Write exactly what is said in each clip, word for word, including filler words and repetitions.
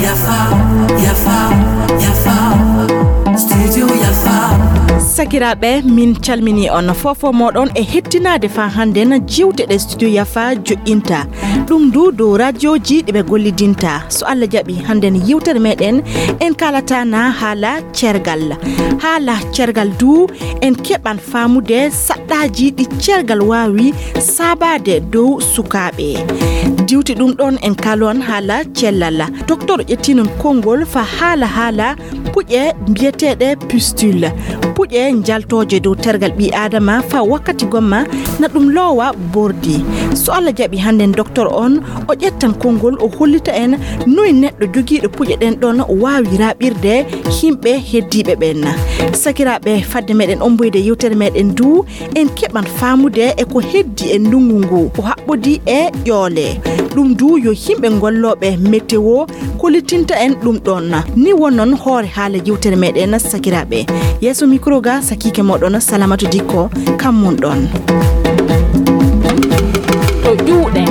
Yafa, yafa, yafa. Studio Yafa. Sakiraaɓe, min calmini on fof fof mooɗon e hettinaade faa hannden jiwte ɗe Studio Yafa joƴƴinta. Ɗum du dow rajoji ɗi ɓe gollidinta. So Allah jaɓi, hannden yewtere meɗen en kaalata na haala cergal. Haala cergal du en keɓan faamude saɗɗaaji ɗi cergal waawi saabaade dow sukaaɓe. Diwti ɗum ɗon en kaalon haala cellal. Docteur ƴettinon konngol faa haala haala puƴe mbiyeteeɗe pustule. Puƴe njaltooje dow tergal ɓii Aadama faa wakkati gomma na ɗum loowa bordi. So Allah jaɓi hannden docteur on o ƴettan konngol o hollita en noy neɗɗo jogiiɗo puƴe ɗen ɗon waawi raaɓirde yimɓe heddiiɓe ɓen. Sakiraaɓe, fadde meɗen omboyde yewtere meɗen du, en keɓan faamude e ko heddi e ndunngu ngu o haɓɓodi e ƴoole. Ɗum du yo yimɓe gollooɓe météo kollitinta en ɗum ɗon. Ni wonnon hoore haala yewtere meɗen sakiraaɓe. Yeeso micro ga sakiike moɗon Salamatu Dikko kam mun ɗon. To ƴuuɗe.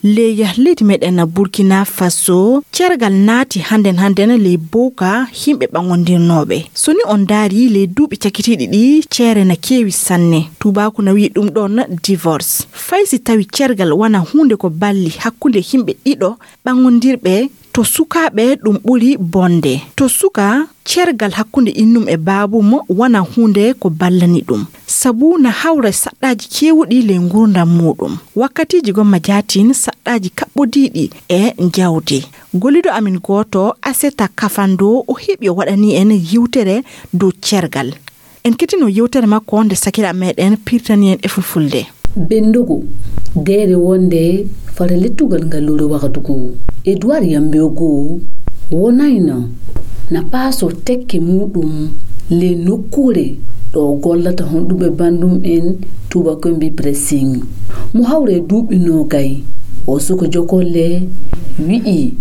Ley leydi meɗen Burkina Faso, cergal naati hannden hannden ley bowka yimɓe ɓaŋondirnooɓe. So ni on ndaari ley duuɓi cakitiiɗi ɗi, ceere na keewi sanne. Tuubaaku na wi'i ɗum ɗon divorce. Fay si tawi cergal wana huunde ko balli hakkunde yimɓe ɗiɗo ɓaŋondirɓe, to sukaaɓe ɗum ɓuri bonde. To suka, cergal hakkunde innum e baabum wana huunde ko ballani ɗum. Sabu na hawra saɗɗaaji keewuɗi ley nguurndam muuɗum. Wakkatiiji gomma jaatin saɗɗaaji kaɓɓodiiɗi e jawdi. Golliiɗo amin gooto, Aseta Kafando, o heɓi o waɗani en yewtere dow cergal. En kettino yewtere makko nde sakiraaɓe meɗen pirtani en e fulfulde. Benndugu, deere wonde fara lettugal ngalluure wakatugu. Edouard Yambiogo wonayno na paaso tekke muuɗum ley nokkuure ɗo o gollata honɗuɓe banndum en tuubakoɓe mbii pressing. Mo hawre duuɓi noogay, o suka jokolle wi'i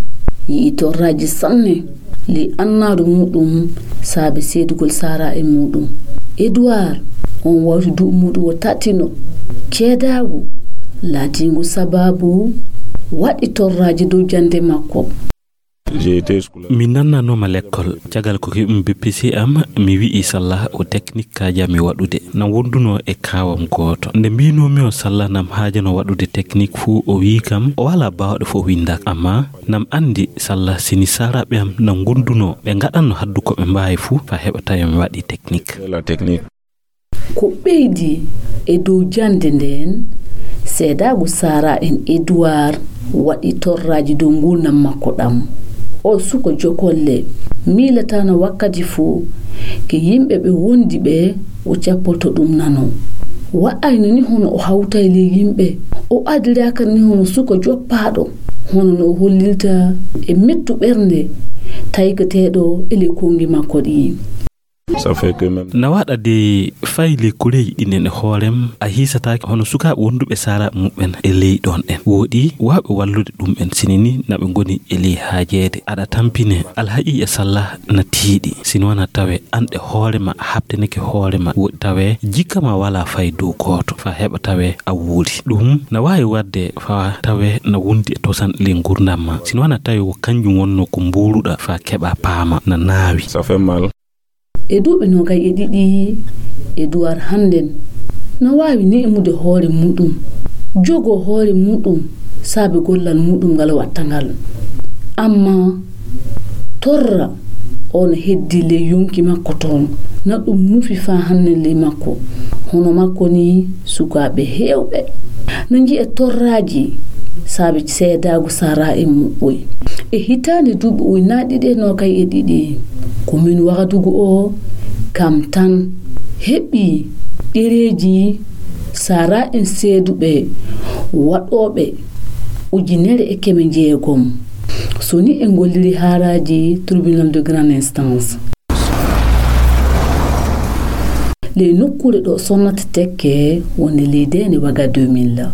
yi'i torraaji sanne ley annaaru muuɗum saabe seedugol saara'en muuɗum. Edouard, on wawti duuɓi muuɗum o tattino ceedaagu laatiingu sabaabu waɗi torraaji dow jannde makko. Min nannanooma lekkol, caggal ko keɓmi B P C am, mi wi'i salla o technique kaajami waɗude. Nam wondunoo e kaawam gooto. Nde mbiinoomi o salla nam haajano waɗude technique fuu, o wi'i kam o walaa baawɗo fo o winnda. Ammaa nam anndi salla sini saaraaɓe am nam ngondunoo, ɓe ngaɗanno haddu ko ɓe mbaawi fuu faa heɓa tawi mi waɗi technique. Ko ɓeydi e dow jannde ndeen, seedaagu saara'en Edouard waɗi torraaji dow nguurndam makko ɗam. O suka jokolle, miilataano wakkati fuu ke yimɓe ɓe wondi ɓe o cappoto ɗum nano. Wa'ayno ni hono o hawtay ley yimɓe, o adiraaka ni hono suka joppaaɗo, hono no o hollirta e mettu ɓernde tayketeeɗo e ley konngi makko ɗi. Na waɗa de fay ley koreeji ɗin en e hoorem, a hiisataake hono sukaaɓe wonduɓe saaraaɓe muɓɓen e ley ɗon ɗen. Wooɗi waawɓe wallude ɗum en sini ni na ɓe ngoni e ley haajeede. Aɗa tampine alhaqiiqa salla na tiiɗi. Sino wana tawe an e hoore ma a habteneke hoore ma. Wooɗi tawe jikka ma walaa fay dow gooto faa heɓa tawe a wuuri. Ɗum na waawi waɗde faa tawe na wondi e tosan ley nguurndam ma. Sino wana tawe ko kanjum wonno ko mbuuluɗa faa keɓa paama na naawi. E duuɓi noogay e ɗiɗi, Edouard hannden no waawi neemude hoore muuɗum, jogoo hoore muuɗum saabe gollal muuɗum ngal watta ngal. Ammaa torra o no heddi ley yonki makko toon, na ɗum nufi faa hannden ley makko. Hono makko ni sukaaɓe heewɓe na njiya torraaji saabe seedaagu saara'en muɓɓoy. E hitaande duuɓi ujunaaji ɗiɗi e noogay e ɗiɗi, komin Wagadugu o kam tan heɓi ɗereeji saara'en seeduɓe waɗooɓe ujunere e keme jeegom. So ni en ngolliri haaraaji tribunal de grande instance. Ley nokkuure ɗo sonnata tekke wonde ley deende Waga deux mille,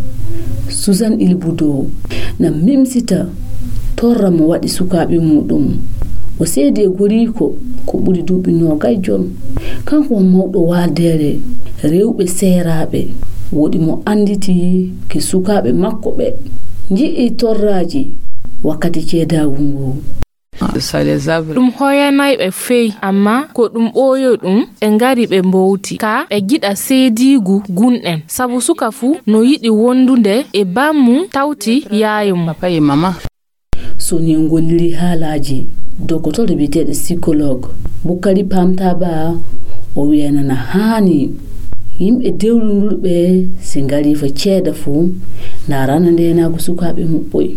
Suzanne Ilbudo na mimsita torra mo waɗi sukaaɓe muuɗum. O seedi e goriiko ko ɓuri duuɓi noogay jon. Kanko won mawɗo waaldeere rewɓe seeraaɓe. Woɗi mo annditi ke sukaaɓe makko ɓe nji'i torraaji wakkati ceedaagu ngu. Ɗum hoyanay ɓe fey, amma ko ɗum ɓooyo ɗum, ɓe ngari ɓe mbowti. Ka ɓe giɗa seediigu gunɗen, sabu suka fuu no yiɗi wondude e bammum tawti yaayo mum. So ni en golliri haalaaji, dokotoro biyeteeɗo psychologue Bukari Pamtaba, o wiyanana haani yimɓe dewlundurɓe si ngari fo ceeda fuu, ndaarana ndeenaagu sukaaɓe muɓɓoy.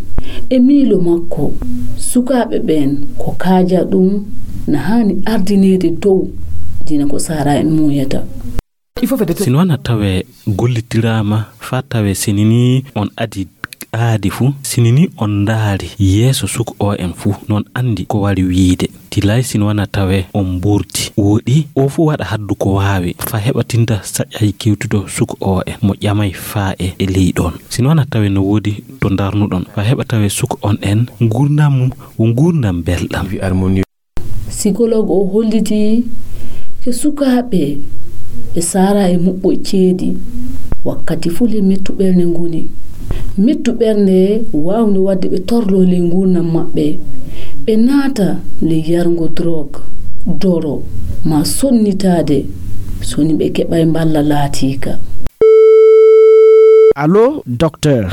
E miilo makko, sukaaɓe ɓeen ko kaaja ɗum na haani ardineede dow dina ko saara en muuyata. Sinwana tawe gollitiraama faa tawe sinini on adi aadi fuu, sinini on ndaari yeeso suka o en fuu, non anndi ko wari wiide. Tilay sinwana tawe on mburti. Woɗi o fuu waɗa haddu ko waawi faa heɓa tinta saƴaaji kewtudo suka o en mo ƴamay faa e, e ley ɗon. Sinwana tawe no woodi to ndarnuɗon faa heɓa tawe suka on en nguurndam mum wo nguurndam belɗam. Psychologue o holliti ke sukaaɓe ɓe saara e muɓɓo ceedi wakkati fuu le mettu ɓernde ngoni. Mettu ɓernde waawde waɗde ɓe torloo ley nguurndam maɓɓe, ɓe naata ley yargo drogue, doro, maa sonnitaade, so ni ɓe keɓay mballa laatiika. Allo, docteur.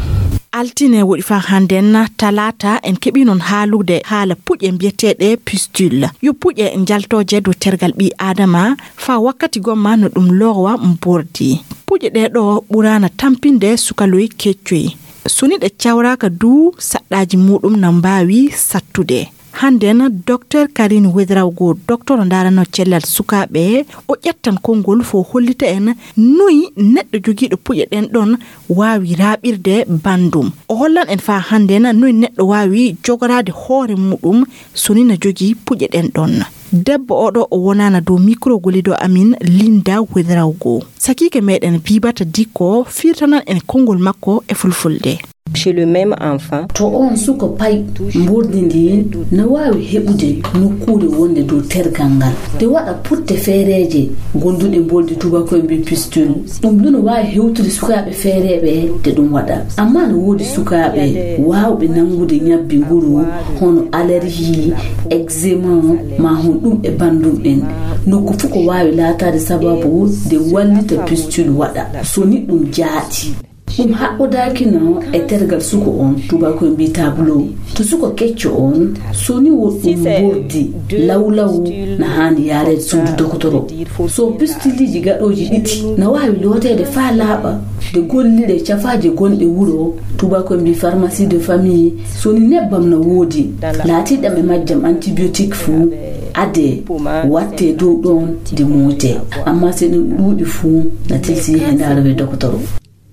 Altine woɗi faa hannden, talaata, en keɓii non haalude haala puƴe mbiyeteeɗe pistule. Yo puƴe njaltooje dow tergal ɓii Aadama faa wakkati gomma no ɗum loowa mbordi. Puƴe ɗee ɗoo ɓuraana tampinde sukaloy keccoy. So ni ɗe cawraaka duu, saɗɗaaji muuɗum na mbaawi sattude. Hannden, Docteur Karine Ouédraogo, docteur ndaaranoo cellal sukaaɓe, o ƴettan konngol fo hollita en noy neɗɗo jogiiɗo puƴe ɗen ɗon waawi raaɓirde banndum. O hollan en faa hannden noy neɗɗo waawi jogoraade hoore muuɗum so ni na jogii puƴe ɗen ɗon. Debbo oo ɗoo o wonaana dow mikro gollido amin Linda Ouédraogo. Sakiike meɗen Bibata Dikko firtanan en konngol makko e fulfulde. Chez le même enfant. To oon suka pay, mbordi ndin na waawi heɓude nokkuure wonde dow tergal ngal. Nde waɗa putte feereeje gonduɗe mbordi, tubako en mbii pistule. Ɗum ɗum no waawi hewtude sukaaɓe feereeɓe nde ɗum waɗa. Amma no woodi sukaaɓe waawɓe nanngude ñabbi nguru, hono allergie, eczéma, maa hon ɗum e banndum en. Nokku fof ko waawi laataade sababu nde wallita pistule waɗa. So ni ɗum jaaɗi. Ɗum haɓɓodaakino e tergal suka on, tubako en mbii tableau. To suka kecco on, so ni wo ɗum mbordi, lawlaw na haani yaareede suudu dokotoro. So pistuliji gaɗooji ɗiɗi na waawi looteede faa laaɓa, nde gollire cafaaje gonɗe wuro, tubako en mbii pharmacie de famille, so ni nebbam na woodi, laatiiɗam e majjam antibiotique fuu, adee, wattee dow ɗon nde mootee. Amma so ɗum ɗuuɗi fuu, na tilsi yehee ndaarowee dokotoro.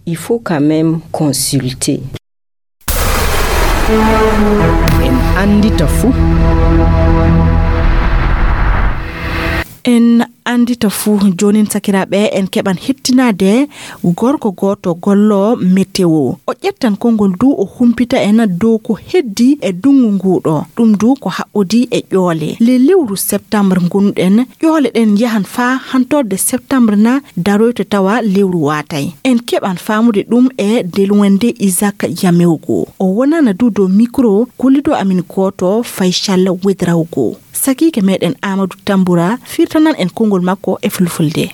Il faut quand même consulter. En anndita fuu. En anndita fuu. Joonin, sakiraaɓe, en keɓan hettinaade gorko gooto golloowo météo. O ƴettan konngol duu, o humpita en dow ko heddii e ndunngu nguu ɗoo. Ɗum duu ko haɓɓodii e ƴoole. Le lewru septembre ngonɗen, ƴoole ɗen yahan faa hantorde septembre na daroyta tawa lewru waatay. En keɓan faamude ɗum e ndelwende Isaac Yamewgo. O wonana duu dow mikro gollido amin gooto Faysal Wedrawgo. Sakiike meɗen Amadou Tamboura firtanan en konngol makko e fulfulde.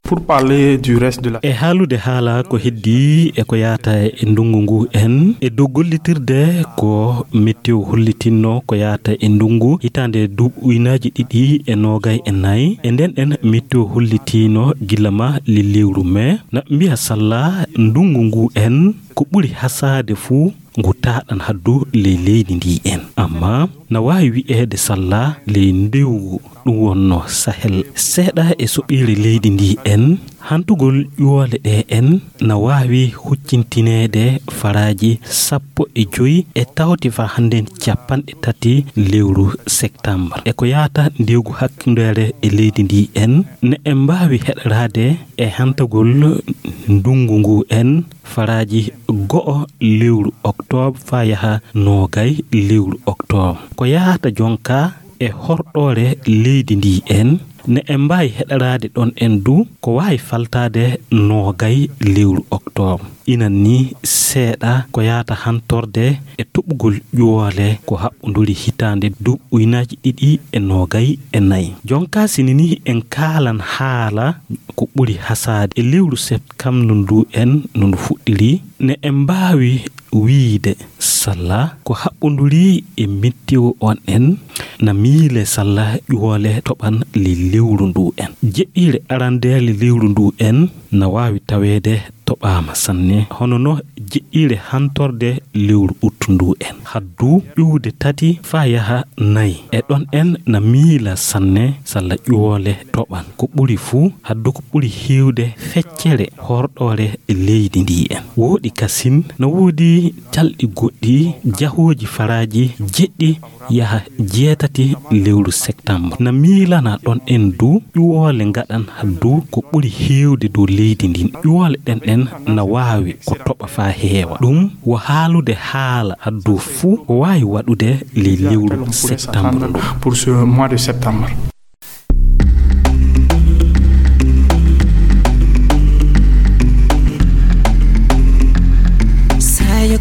Pour parler du reste de la... E haalude haala ko heddii e ko yaata e ndunngu ngu en, e dow gollitirde ko météo hollitinno ko yaata e ndunngu hitaande duuɓi ujunaaji ɗiɗi e noogay e nayi. E nden en météo hollitiino gila ma le lewru mee, na mbiya salla ndunngu ngu en ko ɓuri hasaade fuu ngu taaɗan haddu ley leydi ndi en. Amma na waawi wi'eede salla ley ndewgu ɗum wonno Sahel. Seeɗa e soɓiire leydi ndi en, hantugol ƴoole ɗe en na waawi huccintineede faraaji sappo e joy e tawti faa hannden cappanɗe tati lewru septembre. E ko yaata ndewgu hakkundeere e leydi ndi en, ne en mbaawi heɗoraade e hantagol ndunngu ngu en faraaji go'o lewru oktoobre faa yaha noogay lewru oktoobre. Ko yaata jonka e horɗoore leydi ndi en, ne en mbaawi heɗoraade ɗon en du ko waawi faltaade noogay lewru oktoobre. Inan ni seeɗa ko yaata hantorde e toɓugol ƴuwoole ko haɓɓunduri hitaande duuɓi ujunaaji ɗiɗi e noogay e nayi. Jonka sini ni en kaalan haala ko ɓuri hasaade e lewru septembre ndu en no ndu fuɗɗiri, ne en mbaawi wiyde salla ko haɓɓunduri e meteo on en na miile salla ƴuwoole toɓan le lewru ndu en. Jeɗɗiire arandeere lewru ndu en na waawi taweede toɓaama sanne, hono no jeɗɗiire hantorde lewru ut ndu en. Haddu ƴuwde tati faa yaha nayi. E ɗon en na miila sanne salla ƴuwoole toɓan. Ko ɓuri fuu, haddu ko ɓuri heewde feccere horɗoore leydi ndi en. Wooɗi kasin, no woodi calɗi goɗɗi, jahooji faraaji jeɗɗi yaha jeetati lewru septembre. Na miilana ɗon en du, ƴuwoole ngaɗan du ko ɓuri heewde dow leydi ndin. Ƴuwoole ɗen ɗen na waawi ko toɓa faa heewa. Ɗum wo haalude haala haddu fuu ko waawi waɗude le lewru septembre ndu. Pour ce mois de septembre.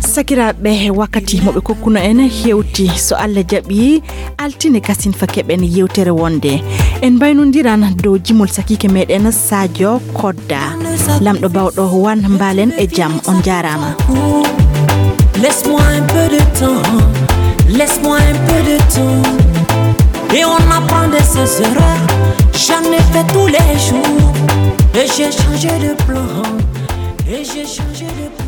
Sakiraaɓe, wakkati mo ɓe kokkuno en hewti, so Allah jaɓi, altine kasin fa keɓen yewtere wonde. En mbaynondiran dow jimol sakiike meɗen Sadio Kodda. Lamɗo bawɗo wan mbalen e jam, on jaaraama. Laisse-moi un peu de temps, laisse-moi un peu de temps. Et on apprend de ses erreurs. J'en ai fait tous les jours. Et j'ai changé de plan. Et j'ai changé de plan.